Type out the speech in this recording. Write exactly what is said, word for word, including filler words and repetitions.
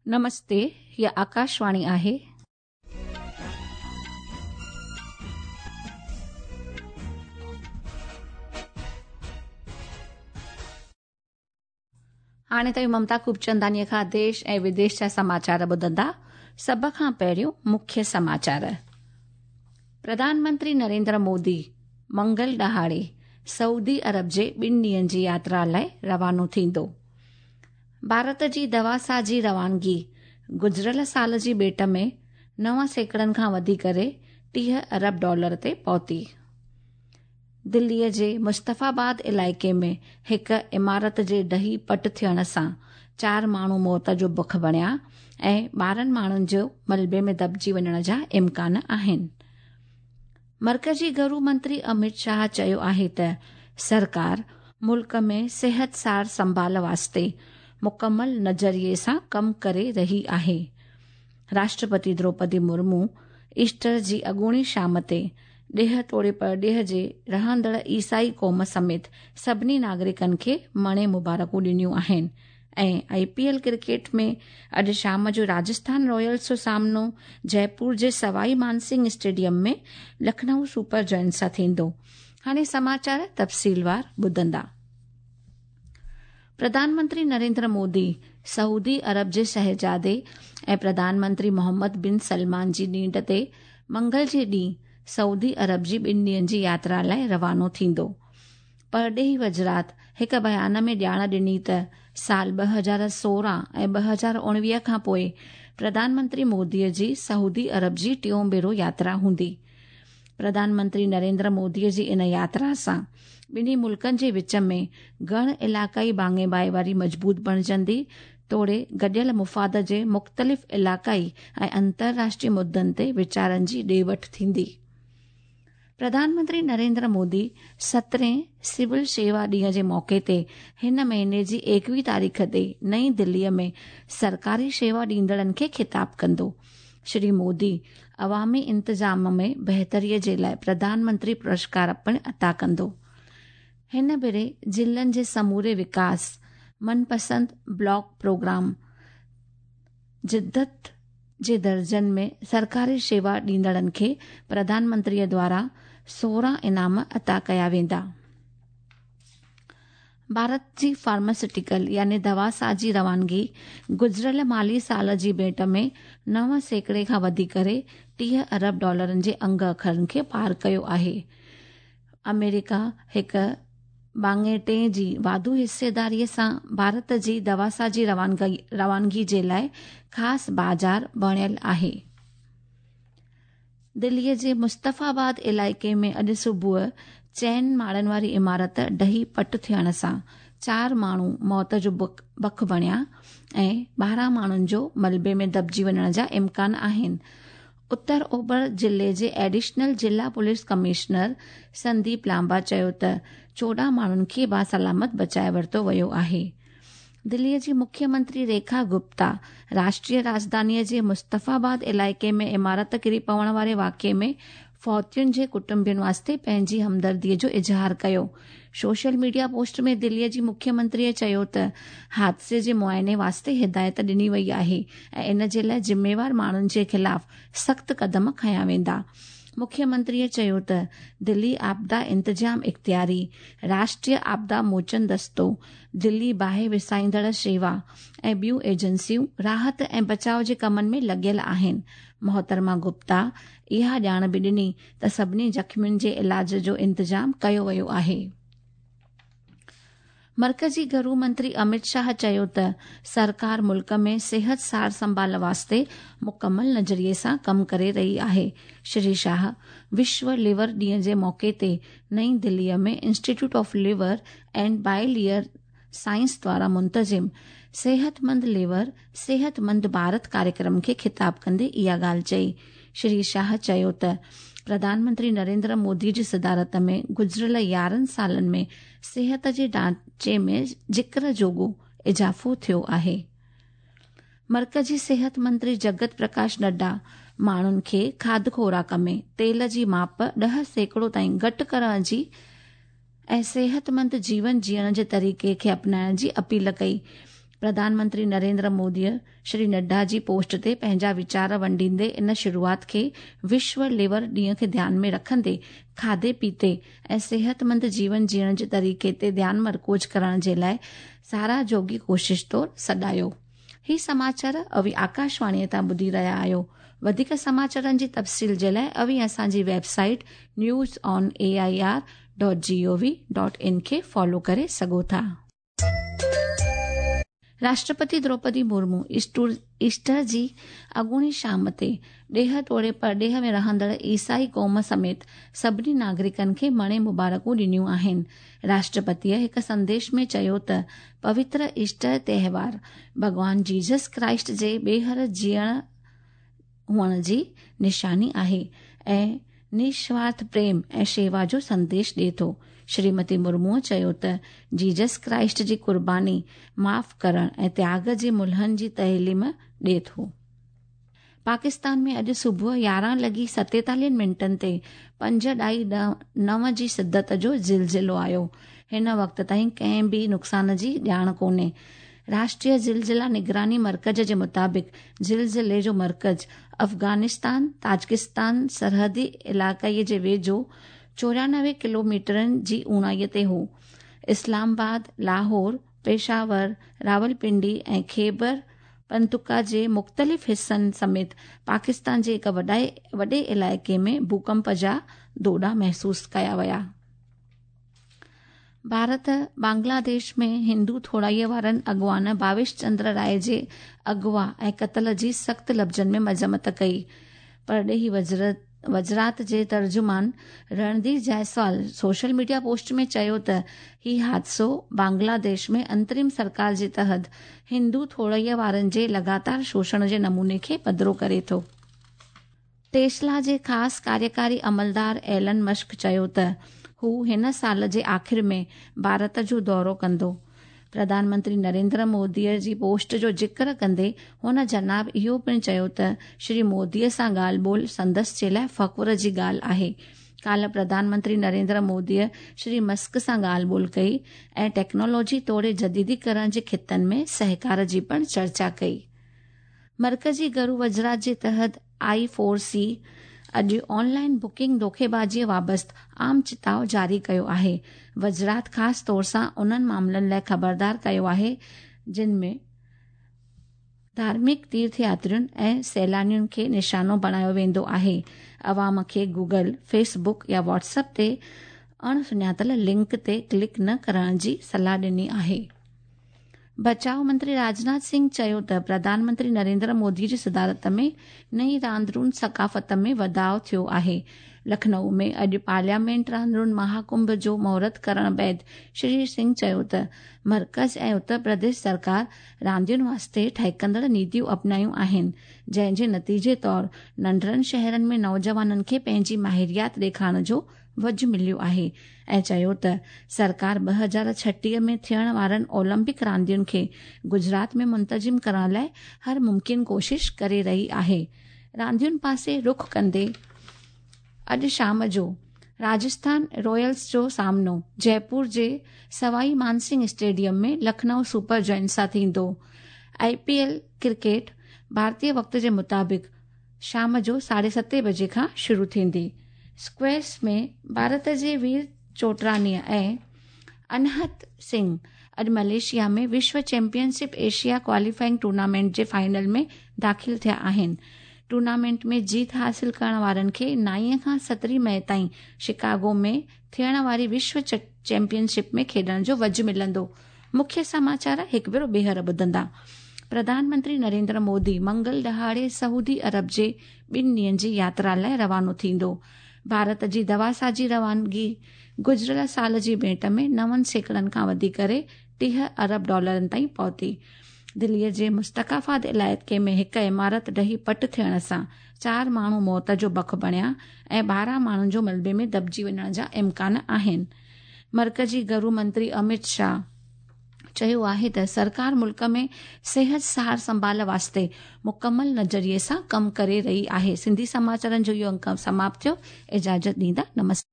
नमस्ते, हीअ आकाशवाणी आहे। हाणे ताईं ममता खूबचंदानीअ खां देश ऐं विदेश जा समाचार ॿुधंदा। सभ खां पहिरियों मुख्य समाचार। प्रधानमंत्री नरेंद्र मोदी मंगल ॾहाड़े सऊदी अरब जे ॿिनि ॾींहंनि जी यात्रा लाइ रवानो थींदो। भारत जी दवासाज़ी रवानगी गुज़िरियल साल जी भेंट में नव सैकड़नि खां वधी करे टीह अरब डॉलर ते पहुती। दिल्लीअ जे मुस्तफ़ाबाद इलाइक़े में हिकु इमारत जे ढही पट थियण सां चारि माण्हू मौत जो बख बणिया ऐं ॿारहं माण्हुनि जो मलबे में दॿजी वञण जा इम्कान आहिनि। मर्कज़ी घरू मंत्री अमित शाह चयो आहे त सरकार मुल्क में सिहत सार संभाल वास्ते मुकमल नज़रिए सां कमु करे रही आहे। राष्ट्रपति द्रौपदी मुर्मू ईस्टर जी अॻूणी शाम ते ॾेह तोड़े परॾेह जे रहंदड़ ईसाई क़ौम समेत सभिनी नागरिकनि खे मणे मुबारकूं ॾिनियूं आहिनि। ऐं I P L cricket में अॼु शाम जो राजस्थान रॉयल्स जो सामनो जयपुर जे सवाई मानसिंह स्टेडियम में लखनऊ सुपर जायंट्स सां थींदो। हाणे समाचार तफ़सीलवार ॿुधंदा। प्रधानमंत्री नरेंद्र मोदी सऊदी अरब जे शहज़ादे ऐं प्रधानमंत्री मोहम्मद बिन सलमान जी नींड ते मंगल जे ॾींहुं सऊदी अरब जी ॿिनि ॾींहंनि जी यात्रा लाइ रवानो थींदो। परॾेही वज़ारत हिकु बयान में ॼाण ॾिनी त साल ॿ हज़ार सोरहं ऐं ॿ हज़ार उणिवीह खां पोइ प्रधानमंत्री मोदीअ जी सऊदी अरब जी टियों भेरो यात्रा हूंदी। प्रधानमंत्री नरेंद्र मोदीअ जी इन यात्रा सां ॿिन्ही मुल्कनि जे विच में घण इलाइक़ाई भाङे भाईवारी मज़बूत बणिजंदी तोड़े गॾियल मुफ़ाद जे मुख़्तलिफ़ इलाइक़ाई ऐं अंतर्राष्ट्रीय मुद्दनि ते वीचारनि जी ॾे वठि थींदी। प्रधानमंत्री नरेंद्र मोदी सतरहें सिविल शेवा ॾींहं जे मौक़े ते हिन महीने जी एकवीह तारीख़ ते नई दिल्लीअ में सरकारी शेवा ॾींदड़नि खे ख़िताब कंदो। श्री मोदी अवामी इंतज़ाम में बहितरीअ जे लाइ प्रधानमंत्री पुरस्कार पिणु अता कंदो। हिन भेरे ज़िलनि जे समूरे विकास मनपसंद ब्लॉक प्रोग्राम जिद्दत जे दर्जनि में सरकारी शेवा ॾींदड़नि खे प्रधानमंत्रीअ द्वारा सोरहं इनाम अता कया वेंदा। भारत जी फार्मास्यूटिकल यानी दवासाज़ी रवानगी गुज़िरियल माली साल जी भेंट में नव सैकड़े खां वधी करे टीह अरब डॉलरनि जे अंग अखरनि खे पार कयो आहे। अमेरिका हिकु भाङे टे जी वाधू हिस्सेदारीअ सां भारत जी दवासाज़ी रवानगी रवानगी जे लाइ ख़ासि बाज़ार बणियल आहे। दिल्लीअ जे मुस्तफ़ाबाद इलाइक़े में अॼु सुबुह चइनि माड़नि वारी इमारत ढही पट थियण सां चारि माण्हू मौत जो बख बणिया ऐं ॿारहं माण्हुनि जो मलबे में दॿजी वञण जा इम्कान आहिनि। उत्तर ओभर ज़िले जे एडिशनल ज़िला पुलिस कमिश्नर संदीप लांबा चयो त चोॾहं माण्हुनि खे बासलामत बचाए वरितो वियो आहे। दिल्लीअ जी मुख्यमंत्री रेखा गुप्ता राष्ट्रीय राजधानीअ जे मुस्तफ़ाबाद इलाइक़े में इमारत किरी पवण वारे वाक़िए में फौतियुनि जे कुटुंबियुनि वास्ते पंहिंजी हमदर्दीअ जो इज़हार कयो। सोशल मीडिया पोस्ट में दिल्लीअ जी मुख्यमंत्रीअ चयो त हादसे जे मुआइने वास्ते हिदायत ॾिनी वई आहे ऐं इन जे लाइ ज़िम्मेवार माण्हुनि जे ख़िलाफ़ सख़्तु क़दम खयां वेंदा। मुख्यमंत्रीअ चयो त दिल्ली आपदा इंतज़ाम इख़्तियारी, राष्ट्रीय आपदा मोचन दस्तो, दिल्ली बाहि विसाईंदड़ शेवा ऐं ॿियूं एजेंसियूं राहत ऐं बचाव जे कमनि में लॻियल आहिनि। मोहतरमा गुप्ता इहा ॼाण बि ॾिनी त सभिनी ज़ख़्मियुनि जे इलाज जो इंतज़ाम कयो वियो आहे। मर्कज़ी घरू मंत्री अमित शाह चयो त सरकार मुल्क में सिहत सार संभाल वास्ते मुकमल नज़रिए सां कमु करे रही आहे। श्री शाह विश्व लिवर ॾींहं जे मौक़े ते नई दिल्लीअ में institute of liver and biliary science द्वारा मुंतज़िम सेहतमंद लिवर सेहतमंद भारत कार्यक्रम खे ख़िताब कंदे इहा ॻाल्हि चई। श्री शाह चयो त प्रधानमंत्री नरेंद्र मोदी जी सदारत में गुज़िरियल यारहं सालनि में सिहत जे ढांचे में ज़िक्र जोॻो इज़ाफ़ो थियो आहे। मर्कज़ी सिहत मंत्री जगत प्रकाश नड्डा माण्हुनि खे खाध खुराक में तेल जी माप ॾह सैकड़ो ताईं घटि करण जी ऐं सेहतमंद जीवन जीअण जे तरीक़े खे अपनाइण जी अपील कई। پرڌان منتري نريندر موديء شري نڊا جي پوسٽ تي پنهنجا ويچار ونڊيندي ان شروعات کي وشو ليور ڏينهن کي ڌيان ۾ رکندي کاڌي پيتي ۽ صحتمند جيون جيئڻ جي طريقي تي ڌيان مرڪوز ڪرڻ جي لاءِ ساراهه جوڳي ڪوشش طور سڏايو. هي سماچار اوهين آڪاشواڻيءَ تان ٻڌي رهيا آهيو. وڌيڪ سماچارن جي تفصيل جي لاءِ اوهين اسان جي website news on A I R dot G O V dot in کي فالو ڪري سگهو ٿا. راشٽرپتي دروپدي مرمو ايسٽر جي اڳوڻي شام تي ڏيهه توڙي پرڏيهه ۾ رهندڙ عيسائي قوم سميت سڀني ناگرڪن کي مڻي مبارڪون ڏنيون آهن. راشٽرپتيءَ هڪ سنديش ۾ چيو ته پوتر ايسٽر تهوار ڀڳوان جيزس ڪرائسٽ جي ٻيهر جيئڻ هئڻ جي نشاني آهي ۽ نسوارٿ پريم ۽ شيوا جو سنديش ڏئي ٿو. شريمتي مرموءَ چيو ته جيزس ڪرائسٽ جي قرباني معاف ڪرڻ ۽ تياڳ جي ملهن جي تعليم ڏئي ٿو. پاڪستان ۾ اڄ صبح يارهن لڳي ستيتاليهن منٽن تي پنج ڏهائي نو جي شدت جو زلزلو آيو. هن وقت تائين ڪنهن به نقصان جي ڄاڻ ڪونهي. راشٽريه زلزلا نگراني مرڪز جي مطابق زلزلي جو مرڪز افغانستان تاجڪستان سرحدي علائقي جي ويجهو چورانوي ڪلوميٽرن جي اونهائيءَ تي هو. اسلام آباد، لاهور، پشاور، راولپنڊي ۽ خيبر پختونخوا جي مختلف حصن سميت پاڪستان جي هڪ وڏي علائقي ۾ ڀوڪمپ جا ڌوڏا محسوس ڪيا ويا. ڀارت بنگلاديش ۾ هندو ٿورائيءَ وارن اڳواڻ ڀاويش چندر راءِ جي اغوا ۽ قتل جي سخت لفظن ۾ مذمت ڪئي. پرڏيهي وزارت وزارت جي ترجمان Randhir Jaiswal social media post ۾ چيو ته هي حادثو بنگلاديش ۾ انترم سرڪار جي تحت هندو ٿورائيءَ وارن جي لڳاتار شوشڻ جي نموني کي پڌرو ڪري ٿو. ٽيسلا جي خاص ڪاريڪاري عملدار ايلن مشڪ چيو ته هو هن سال جي آخر ۾ ڀارت جو دورو ڪندو. پرڌان منتري نريندر موديءَ جي پوسٽ جو ذڪر ڪندي هن جناب اهو پڻ چيو ته شري موديءَ سان ڳالهه ٻولهه سندس جي لاءِ فخر جي ڳالهه آهي. ڪالهه پرڌان منتري نريندر موديءَ شري مسڪ سان ڳالهه ٻولهه ڪئي ۽ ٽيڪنالاجي توڙي جديديڪرڻ جي خطن ۾ سهڪار جي پڻ چرچا ڪئي. مرڪزي گهرو وزارت جي تحت I four سي اڄ آنلائن بڪنگ ڌوکيبازيءَ بابت عام چتاءُ جاري ڪيو آهي. وزارت خاص طور سان انهن معاملن لاءِ خبردار ڪيو آهي جن ۾ ڌارمڪ تيرٿ ياترين ۽ سيلانين کي نشانو بڻايو ويندو آهي. عوام کي گوگل، فيس بڪ يا واٽس ايپ تي اڻ سڃاتل لنڪ تي ڪلڪ نه ڪرڻ جي صلاح ڏني آهي. بچاءُ منتري راجناٿ سنگهه چيو ته پرڌان منتري نريندر مودي جي صدارت ۾ نئين راندرون ثقافت ۾ وڌاءُ ٿيو آهي. لکنؤ ۾ اڄ پارليامينٽ راندرون مهاڪنڀ جو مهورت ڪرڻ بعد شري سنگهه چيو ته مرڪز ۽ اتر پرديش سرڪار راندين واسطي ٺهڪندڙ نيتيون اپنايون آهن، جنهن جي نتيجي طور ننڍڙن شهرن ۾ نوجوانن کي پنهنجي ماهريات ڏيکارڻ جو وجهه مليو آهي ۽ چيو ته سرڪار ٻه هزار ڇٽيهه ۾ ٿيڻ وارن اولمپڪ راندين کي گجرات ۾ منتظم ڪرڻ لاءِ هر ممڪن ڪوشش ڪري رهي آهي. راندين پاسي رخ ڪندي اڄ شام جو راجسٿان رائلز جو سامنو جئپور جي سوائي Mansingh stadium ۾ Lucknow super giants سان ٿيندو. I P L cricket ڀارتيه وقت جي مطابق شام جو ساڍي ستين بجي کان شروع ٿيندي. اسڪواش ۾ ڀارت جي وير چوٽرانيءَ ۽ انهت سنگهه اڄ ملائيشيا ۾ وشو championship Asia qualifying tournament جي فائنل ۾ داخل ٿيا آهن. ٽورنامينٽ ۾ جيت حاصل ڪرڻ وارن کي نائين کان سترهين مئي تائين شڪاگو ۾ ٿيڻ واري وشو چيمپئن شپ ۾ کيڏڻ جو وجهه ملندو. مکيه سماچار هڪ ڀيرو ٻيهر ٻڌندا. پرڌان منتري نريندر مودي منگل ڏهاڙي سعودي عرب جي ٻن ڏينهن جي ياترا لاءِ روانو ٿيندو. ڀارت جي دواسازي روانگي گذريل سال جي ڀيٽ ۾ نون سيڪڙن کان وڌي ڪري ٽيهه ارب ڊالرن تائين پهتي. دليءَ جي مستڪافاد علائقي ۾ هڪ عمارت ڊهي پٽ ٿيڻ سان چار ماڻهو موت جو بک بڻيا ۽ ٻارهن ماڻهن جو ملبي ۾ دٻجي وڃڻ جا امڪان آهن. مرڪزي گهرو منتري امت شاهه چيو آهي ته سرڪار ملڪ ۾ صحت سار سنڀال واسطي مڪمل نظريي سان ڪم ڪري رهي آهي. سنڌي سماچارن جو اهو انڪ سماپت ٿيو. اجازت ڏيندا. نمستي.